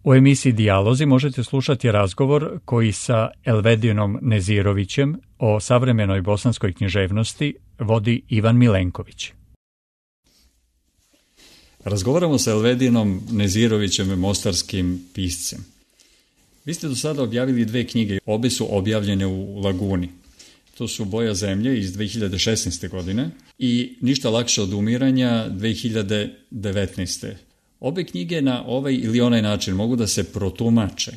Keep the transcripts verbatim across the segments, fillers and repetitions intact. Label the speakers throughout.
Speaker 1: U emisiji Dijalozi možete slušati razgovor koji sa Elvedinom Nezirovićem o savremenoj bosanskoj književnosti vodi Ivan Milenković. Razgovaramo sa Elvedinom Nezirovićem, mostarskim piscem. Vi ste do sada objavili dve knjige, obe su objavljene u Laguni. To su Boja zemlje iz dve hiljade šesnaeste. godine i Ništa lakše od umiranja dve hiljade devetnaeste. Obe knjige na ovaj ili onaj način mogu da se protumače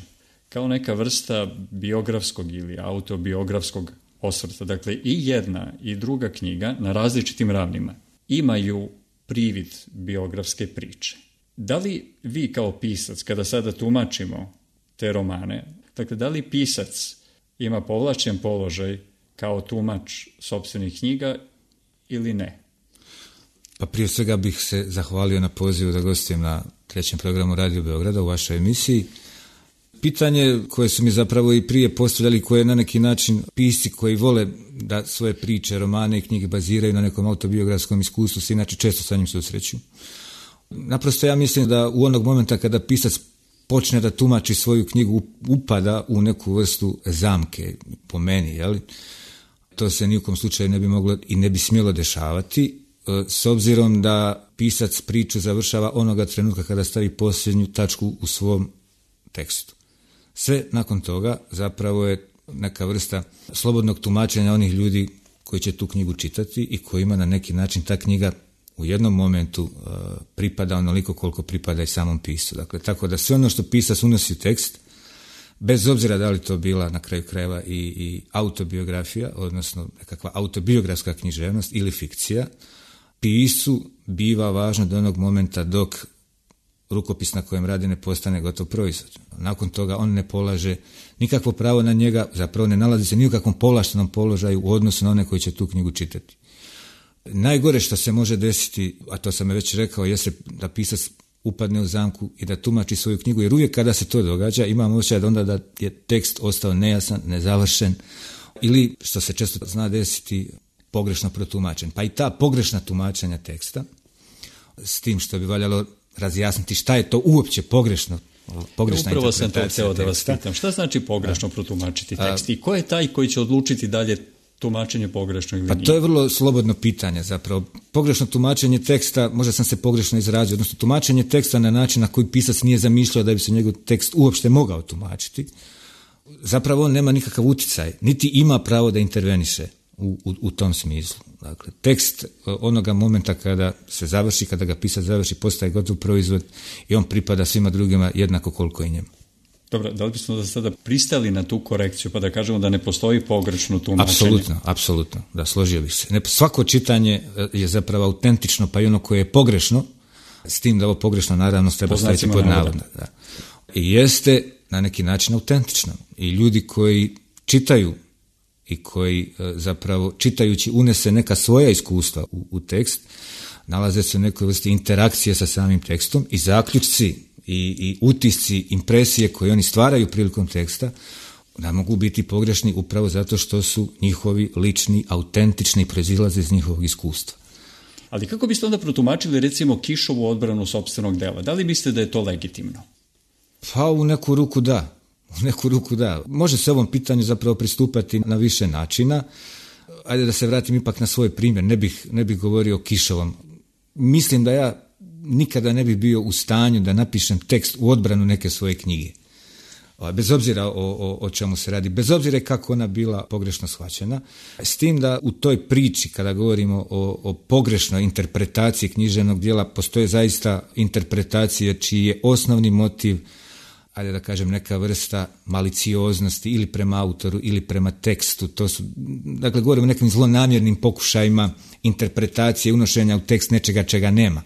Speaker 1: kao neka vrsta biografskog ili autobiografskog osvrta. Dakle, i jedna i druga knjiga na različitim ravnima imaju privid biografske priče. Da li vi kao pisac, kada sada tumačimo te romane, dakle, da li pisac ima povlačen položaj kao tumač sopstvenih knjiga ili ne?
Speaker 2: Pa prije svega bih se zahvalio na pozivu da gostujem na trećem programu Radio Beograda u vašoj emisiji. Pitanje koje su mi zapravo i prije postavljali, koje na neki način pisci koji vole da svoje priče, romane i knjige baziraju na nekom autobiografskom iskustvu, se inače često sa njim susreću. Naprosto ja mislim da u onog momenta kada pisac počne da tumači svoju knjigu, upada u neku vrstu zamke, po meni, jeli? To se ni u kom slučaju ne bi moglo i ne bi smjelo dešavati, s obzirom da pisac priču završava onoga trenutka kada stavi posljednju tačku u svom tekstu. Sve nakon toga zapravo je neka vrsta slobodnog tumačenja onih ljudi koji će tu knjigu čitati i kojima na neki način ta knjiga u jednom momentu uh, pripada onoliko koliko pripada i samom pisu. Dakle, tako da sve ono što pisac unosi u tekst, bez obzira da li to bila na kraju krajeva i, i autobiografija, odnosno nekakva autobiografska književnost ili fikcija, pisu biva važno do onog momenta dok rukopis na kojem radi ne postane gotov proizvod. Nakon toga on ne polaže nikakvo pravo na njega, zapravo ne nalazi se ni u kakvom povlaštenom položaju u odnosu na one koji će tu knjigu čitati. Najgore što se može desiti, a to sam već rekao, jeste da pisac upadne u zamku i da tumači svoju knjigu, jer uvijek kada se to događa imam osjećaj da onda da je tekst ostao nejasan, nezavršen ili, što se često zna desiti, pogrešno protumačen. Pa i ta pogrešna tumačenja teksta, s tim što bi valjalo razjasniti šta je to uopće pogrešno, pogrešna
Speaker 1: Upravo
Speaker 2: interpretacija
Speaker 1: sam to hteo da vas
Speaker 2: teksta.
Speaker 1: pitam. Šta znači pogrešno a, protumačiti tekst? I ko je taj koji će odlučiti dalje tumačenje pogrešno ili
Speaker 2: pa
Speaker 1: nije?
Speaker 2: To je vrlo slobodno pitanje zapravo. Pogrešno tumačenje teksta, možda sam se pogrešno izrazio, odnosno tumačenje teksta na način na koji pisac nije zamišljao da bi se njegov tekst uopšte mogao tumačiti, zapravo on nema nikakav utjecaj, niti ima pravo da interveniše u, u, u tom smislu. Dakle, tekst onoga momenta kada se završi, kada ga pisac završi, postaje gotov proizvod i on pripada svima drugima jednako koliko i njemu.
Speaker 1: Dobro, da li bismo da sada pristali na tu korekciju pa da kažemo da ne postoji pogrešno tumačenje?
Speaker 2: Apsolutno, apsolutno, da, složio bih se. Ne, svako čitanje je zapravo autentično, pa i ono koje je pogrešno, s tim da ovo pogrešno naravno treba staviti pod navodno. Da. I jeste na neki način autentično. I ljudi koji čitaju i koji zapravo čitajući unese neka svoja iskustva u, u tekst, nalaze se u nekoj vrsti interakcije sa samim tekstom i zaključci i, i utisci, impresije koje oni stvaraju prilikom teksta, da mogu biti pogrešni upravo zato što su njihovi lični, autentični, proizilaze iz njihovog iskustva.
Speaker 1: Ali kako biste onda protumačili recimo Kišovu odbranu sopstvenog dela? Da li mislite da je to legitimno?
Speaker 2: Pa u neku ruku da. U neku ruku da. Može se ovom pitanju zapravo pristupati na više načina. Ajde da se vratim ipak na svoj primjer. Ne bih, ne bih govorio o Kišovom. Mislim da ja nikada ne bih bio u stanju da napišem tekst u odbranu neke svoje knjige. Bez obzira o, o, o čemu se radi, bez obzira kako ona bila pogrešno shvaćena. S tim da u toj priči, kada govorimo o, o pogrešnoj interpretaciji književnog djela, postoje zaista interpretacije čiji je osnovni motiv, ajde da kažem, neka vrsta malicioznosti ili prema autoru ili prema tekstu. To su, dakle, govorimo o nekim zlonamjernim pokušajima interpretacije, unošenja u tekst nečega čega nema.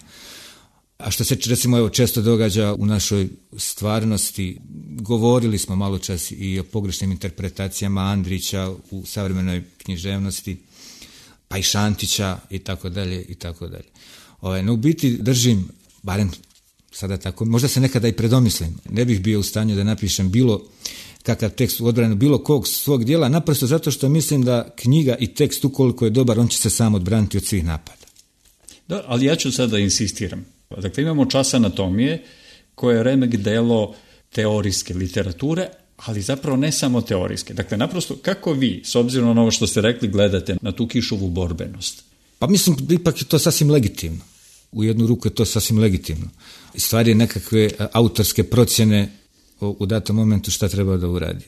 Speaker 2: A što se recimo evo često događa u našoj stvarnosti, govorili smo malo čas i o pogrešnim interpretacijama Andrića u savremenoj književnosti, pa i Šantića i tako dalje i tako dalje. Ovaj, no u biti držim, barem sada tako, možda se nekada i predomislim, ne bih bio u stanju da napišem bilo kakav tekst u odbranu bilo kog svog djela, naprosto zato što mislim da knjiga i tekst ukoliko je dobar, on će se sam odbraniti od svih napada.
Speaker 1: Da, ali ja ću sada insistiram. Dakle, imamo Čas anatomije koje je remek delo teorijske literature, ali zapravo ne samo teorijske. Dakle, naprosto, kako vi, s obzirom na ovo što ste rekli, gledate na tu Kišovu borbenost?
Speaker 2: Pa mislim, ipak je to sasvim legitimno. U jednu ruku je to sasvim legitimno. Stvar je nekakve autorske procjene u datom momentu šta treba da uradi.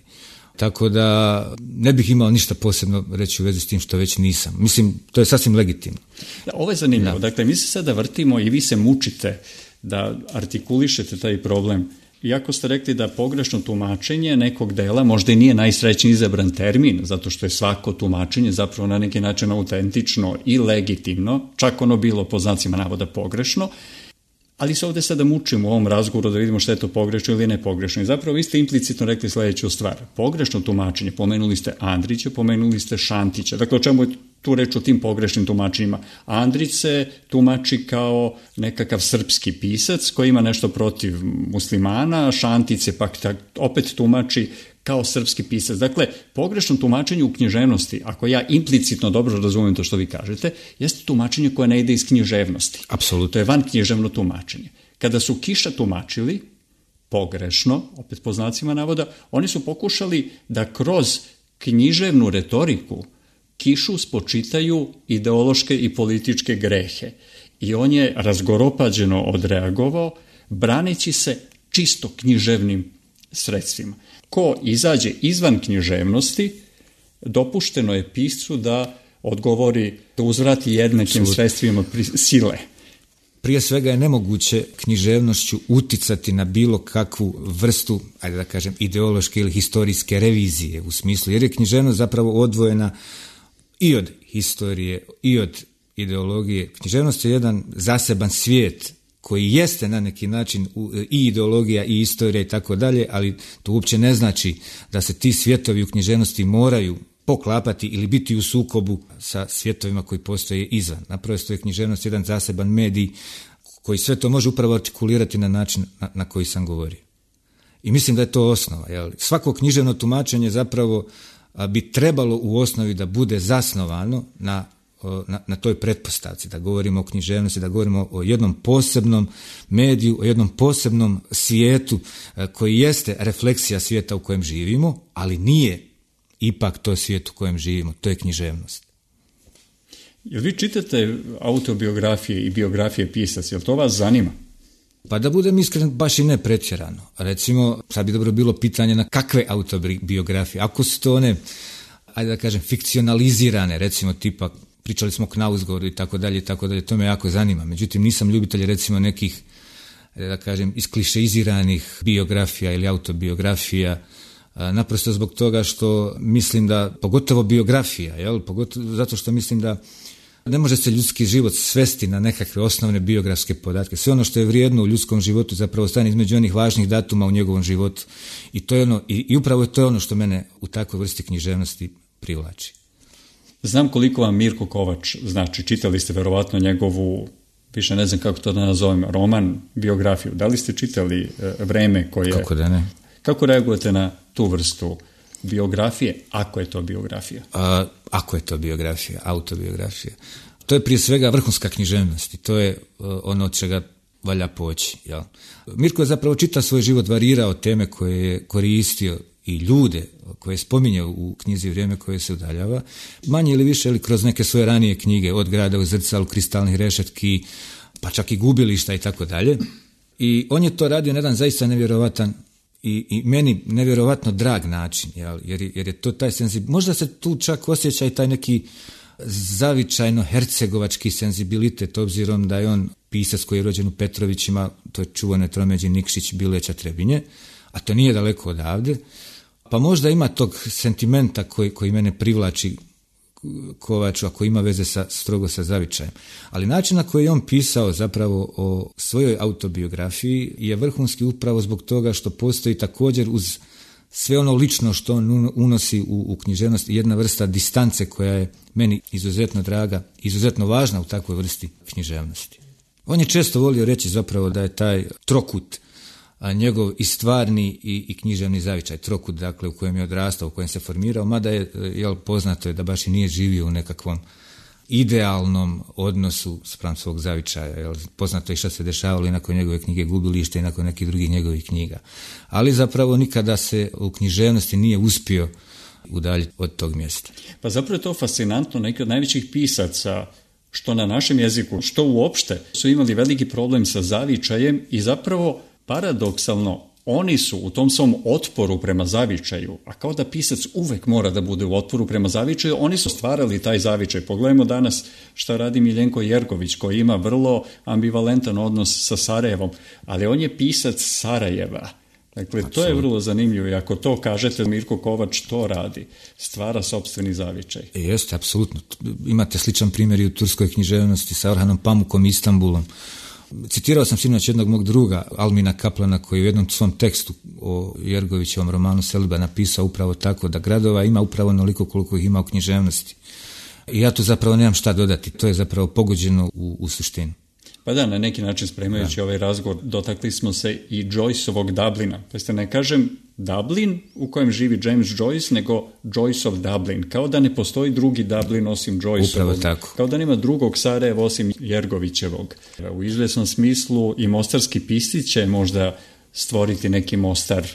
Speaker 2: Tako da ne bih imao ništa posebno reći u vezi s tim što već nisam. Mislim, to je sasvim legitimno.
Speaker 1: Da, ovo je zanimljivo. Da. Dakle, mi se sada vrtimo i vi se mučite da artikulišete taj problem. Iako ste rekli da pogrešno tumačenje nekog dela možda i nije najsrećniji izabran termin, zato što je svako tumačenje zapravo na neki način autentično i legitimno, čak ono bilo po znacima navoda pogrešno, ali se ovdje sada mučimo u ovom razgovoru da vidimo što je to pogrešno ili ne pogrešno. I zapravo vi ste implicitno rekli sljedeću stvar. Pogrešno tumačenje, pomenuli ste Andrića, pomenuli ste Šantića. Dakle, o čemu je tu reč o tim pogrešnim tumačenjima? Andrić se tumači kao nekakav srpski pisac koji ima nešto protiv muslimana, Šantić se pak opet tumači kao srpski pisac. Dakle, pogrešno tumačenje u književnosti, ako ja implicitno dobro razumijem to što vi kažete, jeste tumačenje koje ne ide iz književnosti.
Speaker 2: Apsolutno.
Speaker 1: To je van književno tumačenje. Kada su Kiša tumačili pogrešno, opet po znacima navoda, oni su pokušali da kroz književnu retoriku Kišu spočitaju ideološke i političke grehe. I on je razgoropađeno odreagovao, braneći se čisto književnim sredstvima. Ko izađe izvan književnosti, dopušteno je piscu da odgovori, da uzvrati jednakim sredstvima sile.
Speaker 2: Prije svega je nemoguće književnošću uticati na bilo kakvu vrstu, ajde da kažem, ideološke ili historijske revizije u smislu, jer je književnost zapravo odvojena i od historije, i od ideologije. Književnost je jedan zaseban svijet koji jeste na neki način i ideologija i istorija i tako dalje, ali to uopće ne znači da se ti svjetovi u književnosti moraju poklapati ili biti u sukobu sa svjetovima koji postoje izvan. Naprosto je književnost jedan zaseban medij koji sve to može upravo artikulirati na način na, na koji sam govorio. I mislim da je to osnova. Jel? Svako književno tumačenje zapravo a, bi trebalo u osnovi da bude zasnovano na Na, na toj pretpostavci, da govorimo o književnosti, da govorimo o jednom posebnom mediju, o jednom posebnom svijetu koji jeste refleksija svijeta u kojem živimo, ali nije ipak to svijet u kojem živimo, to je književnost.
Speaker 1: Jel vi čitate autobiografije i biografije pisaca, jel to vas zanima?
Speaker 2: Pa da budem iskren, baš i ne pretjerano. Recimo, sad bi dobro bilo pitanje na kakve autobiografije. Ako su to one, ajde da kažem, fikcionalizirane, recimo tipa pričali smo o Knausgårdu i tako dalje i tako dalje, to me jako zanima. Međutim, nisam ljubitelj recimo nekih, da kažem, isklišeiziranih biografija ili autobiografija, naprosto zbog toga što mislim da, pogotovo biografija, jel, pogotovo zato što mislim da ne može se ljudski život svesti na nekakve osnovne biografske podatke. Sve ono što je vrijedno u ljudskom životu zapravo stane između onih važnih datuma u njegovom životu. I to je ono, i, i upravo to je ono što mene u takvoj vrsti književnosti privlači.
Speaker 1: Znam koliko vam Mirko Kovač znači, čitali ste verovatno njegovu, više ne znam kako to da nazovem, roman, biografiju. Da li ste čitali e, Vreme koje...
Speaker 2: Kako da ne?
Speaker 1: Kako reagujete na tu vrstu biografije, ako je to biografija?
Speaker 2: A, ako je to biografija, autobiografija. To je prije svega vrhunska književnost i to je uh, ono od čega valja poći. Jel? Mirko je zapravo čitav svoj život varirao teme koje je koristio i ljude koje spominje u knjizi Vrijeme koje se udaljava, manje ili više ili kroz neke svoje ranije knjige, od Grada u zrcalu, Kristalnih rešetki, pa čak i Gubilišta i tako dalje. I on je to radio na jedan zaista nevjerovatan i, i meni nevjerovatno drag način, jel? Jer, jer je to taj senzibilitet. Možda se tu čak osjeća i taj neki zavičajno hercegovački senzibilitet, obzirom da je on pisac koji je rođen u Petrovićima, to je čuvane tromeđi Nikšić, Bileća, Trebinje, a to nije daleko odavde. Pa možda ima tog sentimenta koji, koji mene privlači Kovaču, ako ima veze sa, strogo sa zavičajem. Ali način na koji je on pisao zapravo o svojoj autobiografiji je vrhunski upravo zbog toga što postoji također uz sve ono lično što on unosi u, u književnost jedna vrsta distance koja je meni izuzetno draga, izuzetno važna u takvoj vrsti književnosti. On je često volio reći zapravo da je taj trokut a njegov i stvarni i, i književni zavičaj, trokut, dakle, u kojem je odrastao, u kojem se formirao, mada je, jel, poznato je da baš i nije živio u nekakvom idealnom odnosu spram svog zavičaja. Jel, poznato je šta se dešavalo i nakon njegove knjige Gubilište i nakon nekih drugih njegovih knjiga. Ali zapravo nikada se u književnosti nije uspio udaljiti od tog mjesta.
Speaker 1: Pa zapravo je to fascinantno, neki od najvećih pisaca, što na našem jeziku, što uopšte, su imali veliki problem sa zavičajem i zapravo paradoksalno oni su u tom svom otporu prema zavičaju, a kao da pisac uvek mora da bude u otporu prema zavičaju, oni su stvarali taj zavičaj. Pogledajmo danas šta radi Miljenko Jergović, koji ima vrlo ambivalentan odnos sa Sarajevom, ali on je pisac Sarajeva. Dakle, Absolut. To je vrlo zanimljivo i ako to kažete, Mirko Kovač to radi, stvara sopstveni zavičaj.
Speaker 2: E, jeste, apsolutno. Imate sličan primjer i u turskoj književnosti sa Orhanom Pamukom i Istanbulom. Citirao sam sinoć jednog mog druga, Almina Kaplana, koji u jednom svom tekstu o Jergovićevom romanu Selba napisao upravo tako, da gradova ima upravo onoliko koliko ih ima u književnosti. I ja tu zapravo nemam šta dodati, to je zapravo pogođeno u, u suštinu.
Speaker 1: Pa da, na neki način spremajući da. ovaj razgovor, dotakli smo se i Joyceovog Dublina. Pa ste ne kažem Dublin u kojem živi James Joyce, nego Joyceov Dublin. Kao da ne postoji drugi Dublin osim Joyceovog.
Speaker 2: Upravo tako.
Speaker 1: Kao da nema drugog Sarajeva osim Jergovićevog. U izvjesnom smislu i mostarski pisci će možda stvoriti neki Mostar.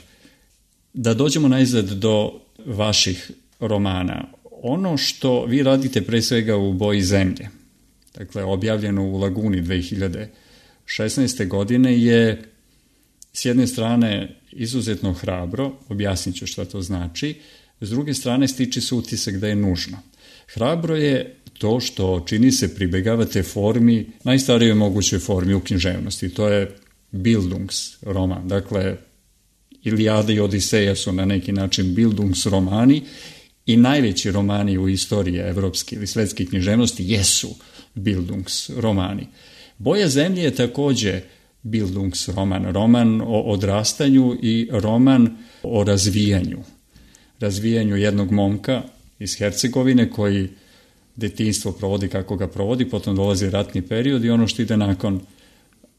Speaker 1: Da dođemo najzad do vaših romana. Ono što vi radite pre svega u Boji zemlje, dakle objavljeno u Laguni dve hiljade šesnaeste. godine, je s jedne strane izuzetno hrabro, objasnit ću šta to znači, s druge strane stiče se utisak da je nužno. Hrabro je to što čini se pribegavate formi, najstarijoj mogućoj formi u književnosti, to je Bildungs roman, dakle Ilijada i Odiseja su na neki način Bildungs romani i najveći romani u istoriji evropske ili svetske književnosti jesu Bildungs romani. Boja zemlje je također Bildungs roman, roman o odrastanju i roman o razvijanju. Razvijanju jednog momka iz Hercegovine koji detinjstvo provodi kako ga provodi, potom dolazi ratni period i ono što ide nakon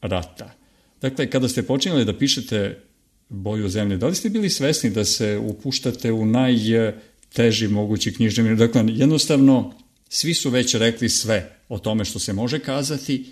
Speaker 1: rata. Dakle, kada ste počinjali da pišete Boju zemlje, da li ste bili svesni da se upuštate u najteži mogući književni? Dakle, jednostavno svi su već rekli sve o tome što se može kazati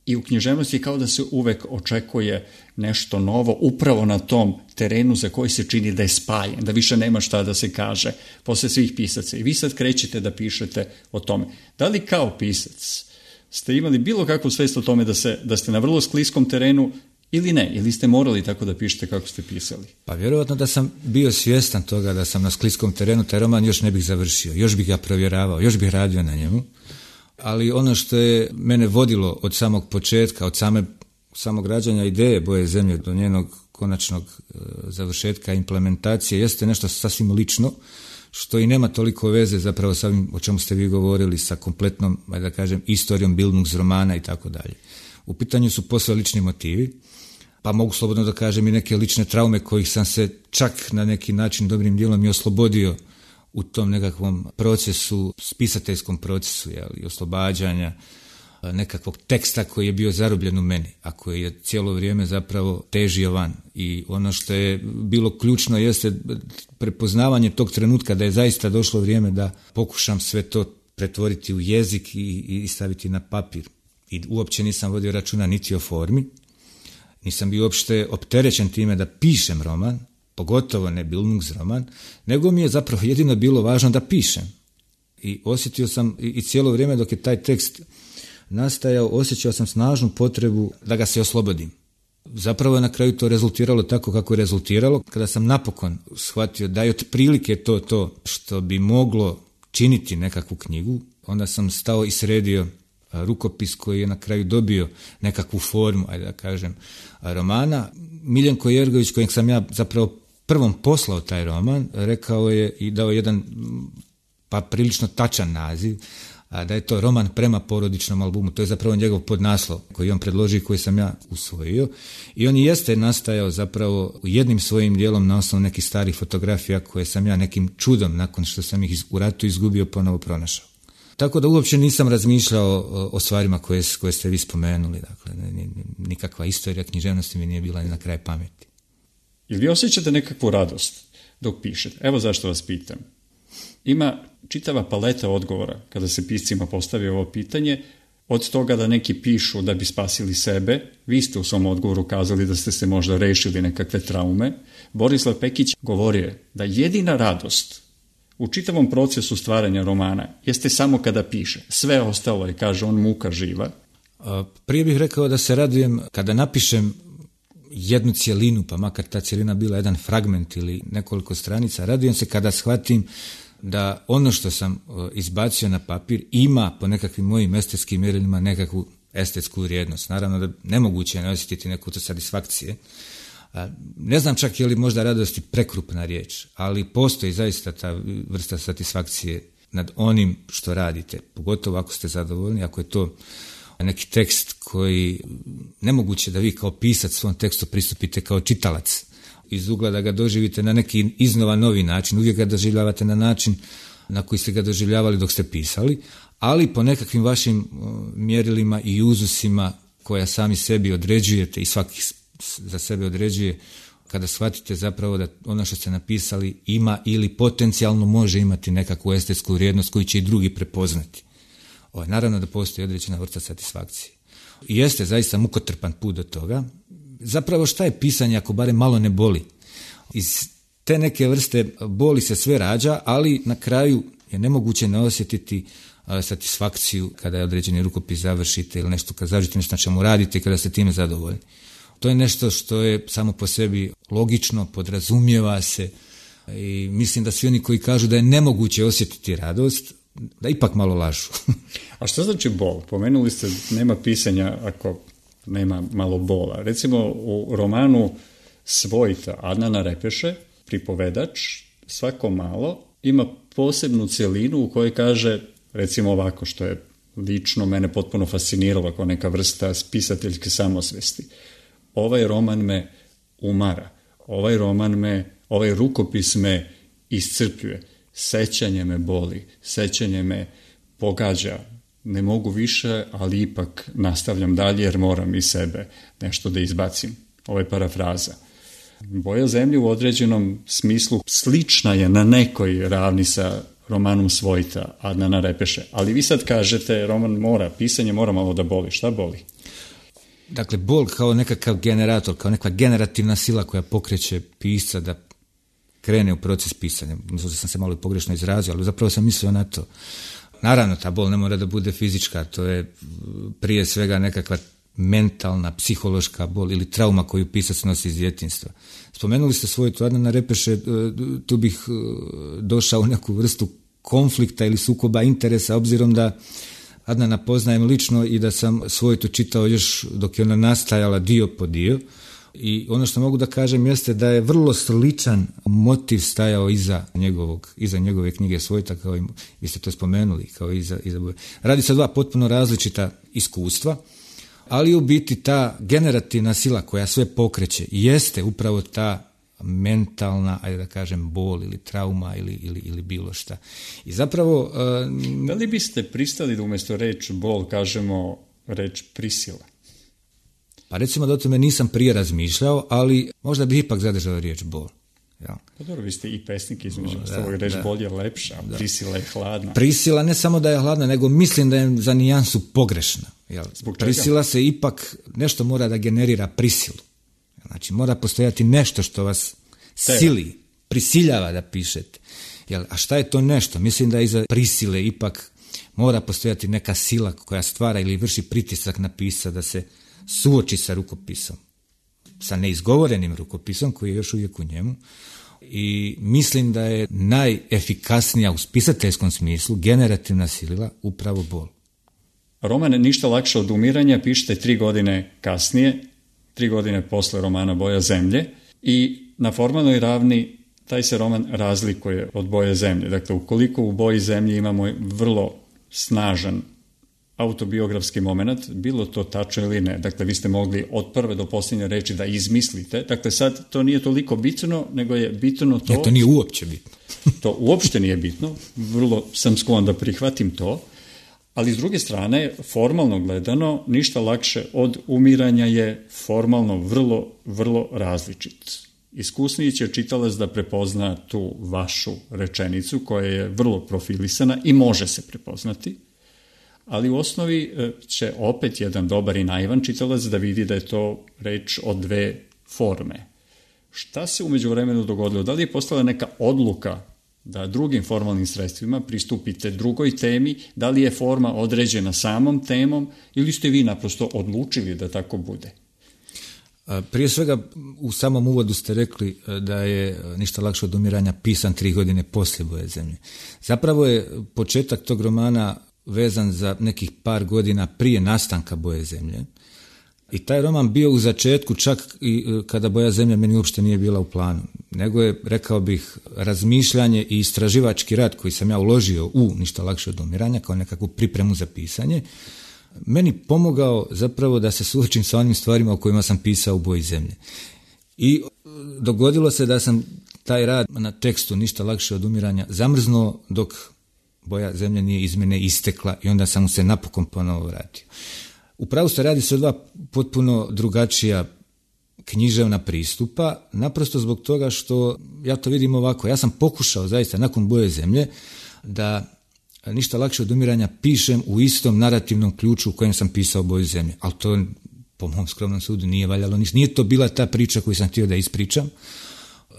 Speaker 1: i u književnosti kao da se uvek očekuje nešto novo upravo na tom terenu za koji se čini da je spajen, da više nema šta da se kaže posle svih pisaca. I vi sad krećete da pišete o tome. Da li kao pisac ste imali bilo kakvu svest o tome da, se, da ste na vrlo skliskom terenu ili ne? Ili ste morali tako da pišete kako ste pisali?
Speaker 2: Pa vjerojatno da sam bio svjestan toga da sam na skliskom terenu, taj roman još ne bih završio, još bih ga provjeravao, još bih radio na njemu. Ali ono što je mene vodilo od samog početka, od same, samog rađanja ideje Boje zemlje do njenog konačnog e, završetka implementacije jeste nešto sasvim lično, što i nema toliko veze zapravo sa ovim o čemu ste vi govorili, sa kompletnom, da kažem, istorijom Bildungs romana i tako dalje. U pitanju su posve lični motivi, pa mogu slobodno da kažem i neke lične traume kojih sam se čak na neki način dobrim dijelom i oslobodio u tom nekakvom procesu, spisateljskom procesu, jel, i oslobađanja nekakvog teksta koji je bio zarobljen u meni, a koji je cijelo vrijeme zapravo težio van. I ono što je bilo ključno jeste prepoznavanje tog trenutka da je zaista došlo vrijeme da pokušam sve to pretvoriti u jezik i, i staviti na papir. I uopće nisam vodio računa niti o formi, nisam bio uopšte opterećen time da pišem roman, pogotovo ne Bildungs roman, nego mi je zapravo jedino bilo važno da pišem. I osjetio sam, i cijelo vrijeme dok je taj tekst nastajao, osjećao sam snažnu potrebu da ga se oslobodim. Zapravo je na kraju to rezultiralo tako kako je rezultiralo, kada sam napokon shvatio da je otprilike to to što bi moglo činiti nekakvu knjigu, onda sam stao i sredio rukopis koji je na kraju dobio nekakvu formu, ajde da kažem, romana. Miljenko Jergović, kojeg sam ja zapravo prvom poslao taj roman, rekao je i dao jedan pa prilično tačan naziv, a da je to roman prema porodičnom albumu. To je zapravo njegov podnaslov koji on predložio i koji sam ja usvojio. I on jeste nastajao zapravo jednim svojim dijelom na osnovu nekih starih fotografija koje sam ja nekim čudom, nakon što sam ih u ratu izgubio, ponovo pronašao. Tako da uopće nisam razmišljao o, o stvarima koje, koje ste vi spomenuli. Dakle, nikakva istorija književnosti mi nije bila ni na kraj pameti.
Speaker 1: Ili vi osjećate nekakvu radost dok pišete? Evo zašto vas pitam. Ima čitava paleta odgovora kada se piscima postavi ovo pitanje, od toga da neki pišu da bi spasili sebe, vi ste u svom odgovoru kazali da ste se možda rešili nekakve traume. Borislav Pekić govorio da jedina radost u čitavom procesu stvaranja romana jeste samo kada piše. Sve ostalo je, kaže on, muka živa.
Speaker 2: Prije bih rekao da se radujem kada napišem jednu cjelinu, pa makar ta cjelina bila jedan fragment ili nekoliko stranica, radujem se kada shvatim da ono što sam izbacio na papir ima po nekakvim mojim estetskim mjerilima nekakvu estetsku vrijednost. Naravno da nemoguće je ne osjetiti neku to satisfakcije. Ne znam čak je li možda radosti prekrupna riječ, ali postoji zaista ta vrsta satisfakcije nad onim što radite, pogotovo ako ste zadovoljni, ako je to neki tekst koji nemoguće da vi kao pisac svom tekstu pristupite kao čitalac iz ugla da ga doživite na neki iznova novi način, uvijek ga doživljavate na način na koji ste ga doživljavali dok ste pisali, ali po nekakvim vašim mjerilima i uzusima koja sami sebi određujete i svaki za sebe određuje, kada shvatite zapravo da ono što ste napisali ima ili potencijalno može imati nekakvu estetsku vrijednost koju će i drugi prepoznati. O, naravno da postoji određena vrsta satisfakcije. I jeste zaista mukotrpan put do toga. Zapravo šta je pisanje ako barem malo ne boli? Iz te neke vrste boli se sve rađa, ali na kraju je nemoguće ne osjetiti a, satisfakciju kada je određeni rukopis završite ili nešto kada završite nešto na čemu radite i kada ste time zadovoljni. To je nešto što je samo po sebi logično, podrazumijeva se i mislim da svi oni koji kažu da je nemoguće osjetiti radost, da ipak malo lažu.
Speaker 1: A što znači bol? Pomenuli ste nema pisanja ako nema malo bola. Recimo u romanu Svojta Adnana Repeše, pripovedač, svako malo ima posebnu cjelinu u kojoj kaže, recimo ovako, što je lično mene potpuno fasciniralo kao neka vrsta spisateljske samosvesti. Ovaj roman me umara, ovaj roman me, ovaj rukopis me iscrpljuje, sećanje me boli, sećanje me pogađa, ne mogu više, ali ipak nastavljam dalje jer moram iz sebe nešto da izbacim. Ovo je parafraza. Boja zemlje u određenom smislu slična je na nekoj ravni sa romanom Svojta Adnana Repeše, ali vi sad kažete roman mora, pisanje mora malo da boli. Šta boli?
Speaker 2: Dakle, bol kao nekakav generator, kao neka generativna sila koja pokreće pisca da krene u proces pisanja. Mislim da sam se malo i pogrešno izrazio, ali zapravo sam mislio na to. Naravno, ta bol ne mora da bude fizička, to je prije svega nekakva mentalna, psihološka bol ili trauma koju pisac nosi iz djetinjstva. Spomenuli ste Svojtu Adnana Repeše, tu bih došao u neku vrstu konflikta ili sukoba interesa, obzirom da Adnana poznajem lično i da sam Svojtu čitao još dok je ona nastajala dio po dio. I ono što mogu da kažem jeste da je vrlo sličan motiv stajao iza njegovog, iza njegove knjige Svojta, kao i vi ste to spomenuli, kao iza, iza boje. Radi se o dva potpuno različita iskustva, ali u biti ta generativna sila koja sve pokreće jeste upravo ta mentalna, ajde da kažem, bol ili trauma ili, ili, ili bilo šta. I zapravo... Uh,
Speaker 1: da li biste pristali da umjesto reč bol kažemo reč prisila?
Speaker 2: Pa recimo da o tome nisam prije razmišljao, ali možda bih ipak zadržao riječ bol. Ja.
Speaker 1: Pa dobro, vi ste i pesnik između ostalog, reč da. Bol je lepša, a prisila je hladna.
Speaker 2: Prisila ne samo da je hladna, nego mislim da je za nijansu pogrešna. Jel? Prisila se ipak, nešto mora da generira prisilu. Znači mora postojati nešto što vas Te. sili, prisiljava da pišete. Jel? A šta je to nešto? Mislim da iza prisile ipak mora postojati neka sila koja stvara ili vrši pritisak na pisca da se suoči sa rukopisom, sa neizgovorenim rukopisom koji je još uvijek u njemu, i mislim da je najefikasnija u spisateljskom smislu generativna sila upravo bol.
Speaker 1: Roman Ništa lakše od umiranja pišete tri godine kasnije, tri godine posle romana Boja zemlje, i na formalnoj ravni taj se roman razlikuje od Boje zemlje. Dakle, ukoliko u Boji zemlje imamo vrlo snažan autobiografski moment, bilo to tačno ili ne. Dakle, vi ste mogli od prve do posljednje reči da izmislite. Dakle, sad to nije toliko bitno, nego je bitno to...
Speaker 2: Ja, to nije uopće bitno.
Speaker 1: To uopšte nije bitno. Vrlo sam sklon da prihvatim to. Ali s druge strane, formalno gledano, Ništa lakše od umiranja je formalno vrlo, vrlo različit. iskusniji će čitalac da prepozna tu vašu rečenicu koja je vrlo profilisana i može se prepoznati, ali u osnovi će opet jedan dobar i naivan čitalac da vidi da je to reč o dve forme. Šta se u međuvremenu dogodilo? Da li je postala neka odluka da drugim formalnim sredstvima pristupite drugoj temi, da li je forma određena samom temom ili ste vi naprosto odlučili da tako bude?
Speaker 2: Prije svega, u samom uvodu ste rekli da je Ništa lakše od umiranja pisan tri godine poslije Boje zemlje. Zapravo je početak tog romana vezan za nekih par godina prije nastanka Boje zemlje. I taj roman bio u začetku čak i kada Boja zemlje meni uopšte nije bila u planu. Nego je, rekao bih, razmišljanje i istraživački rad koji sam ja uložio u Ništa lakše od umiranja kao nekakvu pripremu za pisanje, meni pomogao zapravo da se suočim sa onim stvarima o kojima sam pisao u Boji zemlje. I dogodilo se da sam taj rad na tekstu Ništa lakše od umiranja zamrznuo dok Boja zemlje nije iz mene istekla i onda sam mu se napokon ponovo vratio. Upravo se radi se o dva potpuno drugačija književna pristupa, naprosto zbog toga što ja to vidim ovako. Ja sam pokušao zaista nakon Boje zemlje da Ništa lakše od umiranja pišem u istom narativnom ključu u kojem sam pisao Boju zemlje, ali to po mom skromnom sudu nije valjalo ništa. Nije to bila ta priča koju sam htio da ispričam.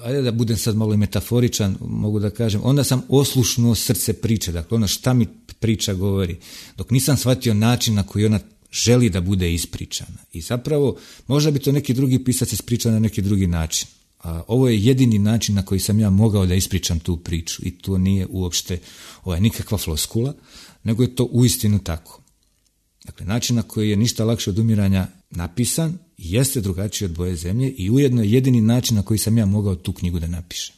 Speaker 2: Ajde da budem sad malo i metaforičan, mogu da kažem, onda sam oslušnuo srce priče, dakle ono šta mi priča govori, dok nisam shvatio način na koji ona želi da bude ispričana. I zapravo, možda bi to neki drugi pisac ispričao na neki drugi način. A ovo je jedini način na koji sam ja mogao da ispričam tu priču i to nije uopšte ovaj, nikakva floskula, nego je to uistinu tako. Dakle, način na koji je Ništa lakše od umiranja napisan jeste drugačiji od Boje zemlje i ujedno je jedini način na koji sam ja mogao tu knjigu da napišem.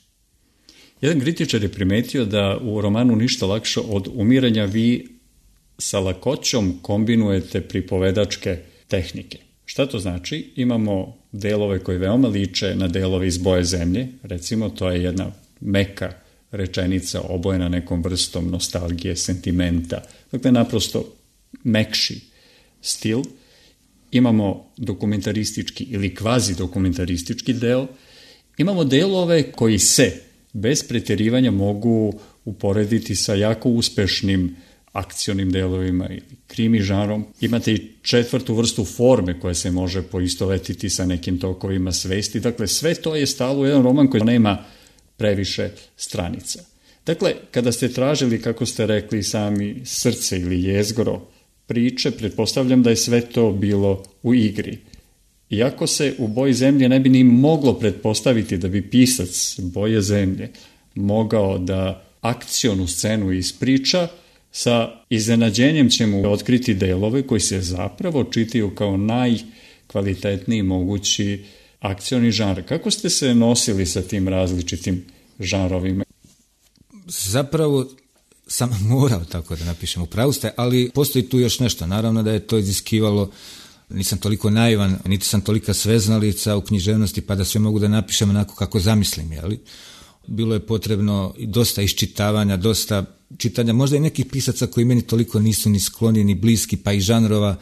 Speaker 1: Jedan kritičar je primetio da u romanu Ništa lakše od umiranja vi sa lakoćom kombinujete pripovedačke tehnike. Šta to znači? Imamo delove koji veoma liče na delove iz Boje zemlje, recimo to je jedna meka rečenica obojena nekom vrstom nostalgije, sentimenta, dakle naprosto mekši stil. Imamo dokumentaristički ili kvazi dokumentaristički deo, imamo delove koji se bez pretjerivanja mogu uporediti sa jako uspešnim akcionim delovima ili krimi žanrom. Imate i četvrtu vrstu forme koja se može poistovetiti sa nekim tokovima svesti. Dakle, sve to je stalo u jedan roman koji nema previše stranica. Dakle, kada ste tražili, kako ste rekli sami, srce ili jezgro priče, pretpostavljam da je sve to bilo u igri. Iako se u Boji zemlje ne bi ni moglo pretpostaviti da bi pisac Boje zemlje mogao da akcionu scenu ispriča, sa iznenađenjem ćemo otkriti delove koji se zapravo čitaju kao najkvalitetniji mogući akcioni žanr. Kako ste se nosili sa tim različitim žanrovima?
Speaker 2: Zapravo sam morao tako da napišem, upravo ste, ali postoji tu još nešto. Naravno da je to iziskivalo, nisam toliko naivan, niti sam tolika sveznalica u književnosti pa da sve mogu da napišem onako kako zamislim, jeli? Bilo je potrebno dosta iščitavanja, dosta čitanja, možda i nekih pisaca koji meni toliko nisu ni skloni, ni bliski, pa i žanrova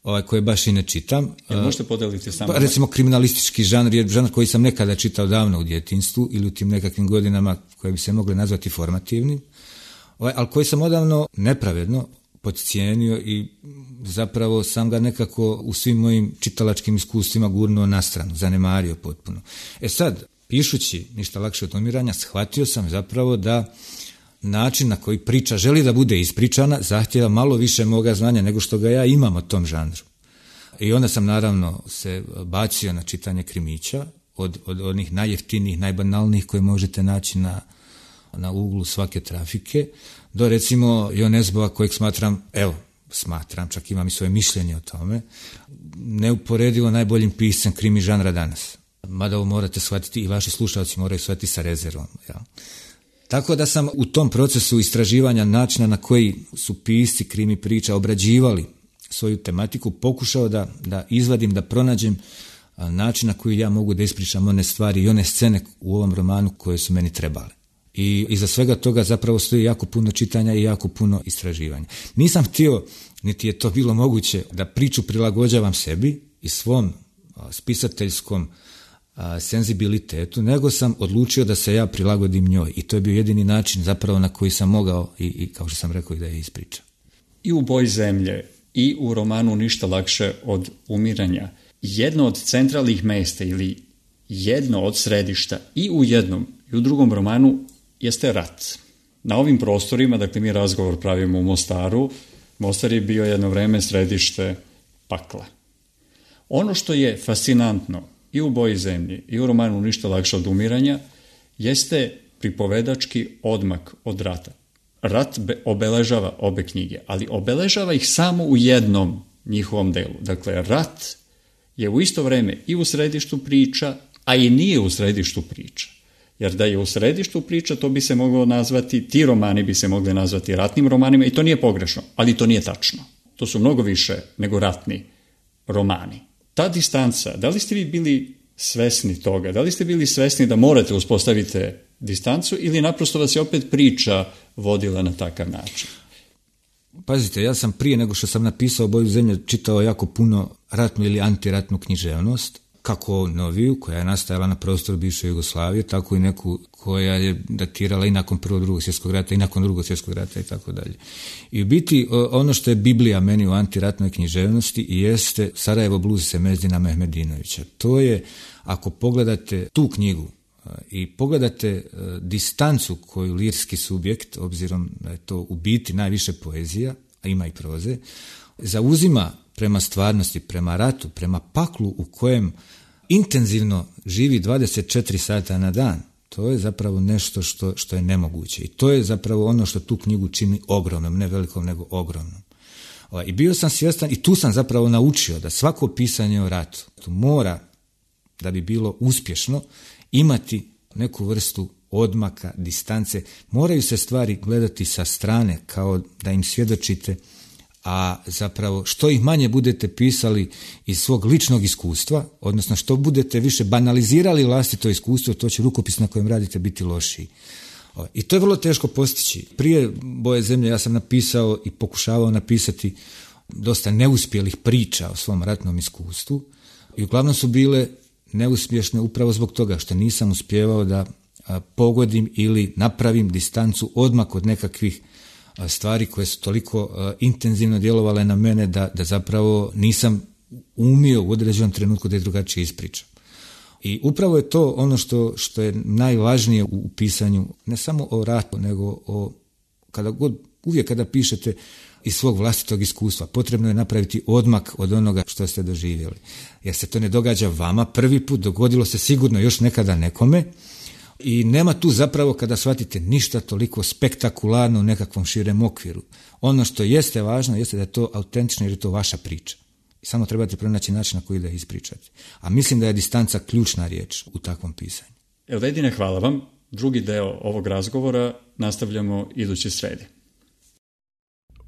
Speaker 2: ovaj, koje baš i ne čitam.
Speaker 1: Jel možete podeliti samo?
Speaker 2: Pa, recimo kriminalistički žanr je žanr koji sam nekada čitao davno u djetinjstvu ili u tim nekakvim godinama koje bi se mogle nazvati formativnim, ovaj, ali koji sam odavno nepravedno podcijenio i zapravo sam ga nekako u svim mojim čitalačkim iskustvima gurnuo na stranu, zanemario potpuno. E sad, pišući Ništa lakše od umiranja, shvatio sam zapravo da način na koji priča želi da bude ispričana zahtjeva malo više moga znanja nego što ga ja imam o tom žanru. I onda sam naravno se bacio na čitanje krimića, od, od onih najjeftinijih, najbanalnijih koje možete naći na, na uglu svake trafike, do recimo Jonesbova kojeg smatram, evo, smatram, čak imam i svoje mišljenje o tome, neuporedivo najboljim piscem krimi žanra danas. Mada ovo morate shvatiti i vaši slušalci moraju shvatiti sa rezervom. Ja. Tako da sam u tom procesu istraživanja načina na koji su pisci krimi priča obrađivali svoju tematiku pokušao da, da izvadim, da pronađem način na koji ja mogu da ispričam one stvari i one scene u ovom romanu koje su meni trebale. I iza svega toga zapravo stoji jako puno čitanja i jako puno istraživanja. Nisam htio, niti je to bilo moguće, da priču prilagođavam sebi i svom spisateljskom a, senzibilitetu, nego sam odlučio da se ja prilagodim njoj. I to je bio jedini način zapravo na koji sam mogao i, i kao što sam rekao, i da je ispričam.
Speaker 1: I u Boji zemlje i u romanu Ništa lakše od umiranja jedno od centralnih mjesta ili jedno od središta i u jednom i u drugom romanu jeste rat. Na ovim prostorima, dakle mi razgovor pravimo u Mostaru, Mostar je bio jedno vreme središte pakla. Ono što je fascinantno i u Boji zemlje i u romanu Ništa lakše od umiranja jeste pripovedački odmak od rata. Rat obeležava obe knjige, ali obeležava ih samo u jednom njihovom delu. Dakle, rat je u isto vrijeme i u središtu priča, a i nije u središtu priča. Jer da je u središtu priča, to bi se moglo nazvati, ti romani bi se mogli nazvati ratnim romanima i to nije pogrešno, ali to nije tačno. To su mnogo više nego ratni romani. Ta distanca, da li ste vi bili svesni toga? Da li ste bili svesni da morate uspostaviti distancu ili naprosto vas je opet priča vodila na takav način?
Speaker 2: Pazite, ja sam prije nego što sam napisao Boju zemlje čitao jako puno ratnu ili antiratnu književnost, kako noviju koja je nastajala na prostoru bivše Jugoslavije, tako i neku koja je datirala i nakon prvog drugog svjetskog rata i nakon drugog svjetskog rata i tako dalje. I u biti ono što je Biblija meni u antiratnoj književnosti jeste Sarajevo blues Semezdina Mehmedinovića. To je, ako pogledate tu knjigu i pogledate distancu koju lirski subjekt, obzirom da je to u biti najviše poezija, a ima i proze, zauzima prema stvarnosti, prema ratu, prema paklu u kojem intenzivno živi dvadeset četiri sata na dan, to je zapravo nešto što, što je nemoguće. I to je zapravo ono što tu knjigu čini ogromnom, ne velikom, nego ogromnom. I bio sam svjestan i tu sam zapravo naučio da svako pisanje o ratu mora, da bi bilo uspješno, imati neku vrstu odmaka, distance. Moraju se stvari gledati sa strane, kao da im svjedočite, a zapravo što ih manje budete pisali iz svog ličnog iskustva, odnosno što budete više banalizirali vlastito iskustvo, to će rukopis na kojem radite biti lošiji. I to je vrlo teško postići. Prije Boje zemlje ja sam napisao i pokušavao napisati dosta neuspjelih priča o svom ratnom iskustvu i uglavnom su bile neuspješne upravo zbog toga što nisam uspjevao da pogodim ili napravim distancu odmak od nekakvih stvari koje su toliko uh, intenzivno djelovale na mene da, da zapravo nisam umio u određenom trenutku da je drugačije ispričam. I upravo je to ono što, što je najvažnije u, u pisanju, ne samo o ratu, nego o, kada god, uvijek kada pišete iz svog vlastitog iskustva, potrebno je napraviti odmak od onoga što ste doživjeli. Jer se to ne događa vama prvi put, dogodilo se sigurno još nekada nekome, i nema tu zapravo, kada shvatite, ništa toliko spektakularno u nekakvom širem okviru. Ono što jeste važno jeste da je to autentično jer je to vaša priča. I samo trebate pronaći način na koji da je ispričate. A mislim da je distanca ključna riječ u takvom pisanju.
Speaker 1: Elvedine, hvala vam. Drugi deo ovog razgovora nastavljamo idući sredi.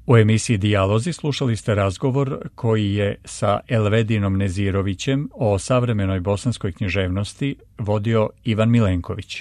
Speaker 1: U emisiji Dijalozi slušali ste razgovor koji je sa Elvedinom Nezirovićem o savremenoj bosanskoj književnosti vodio Ivan Milenković.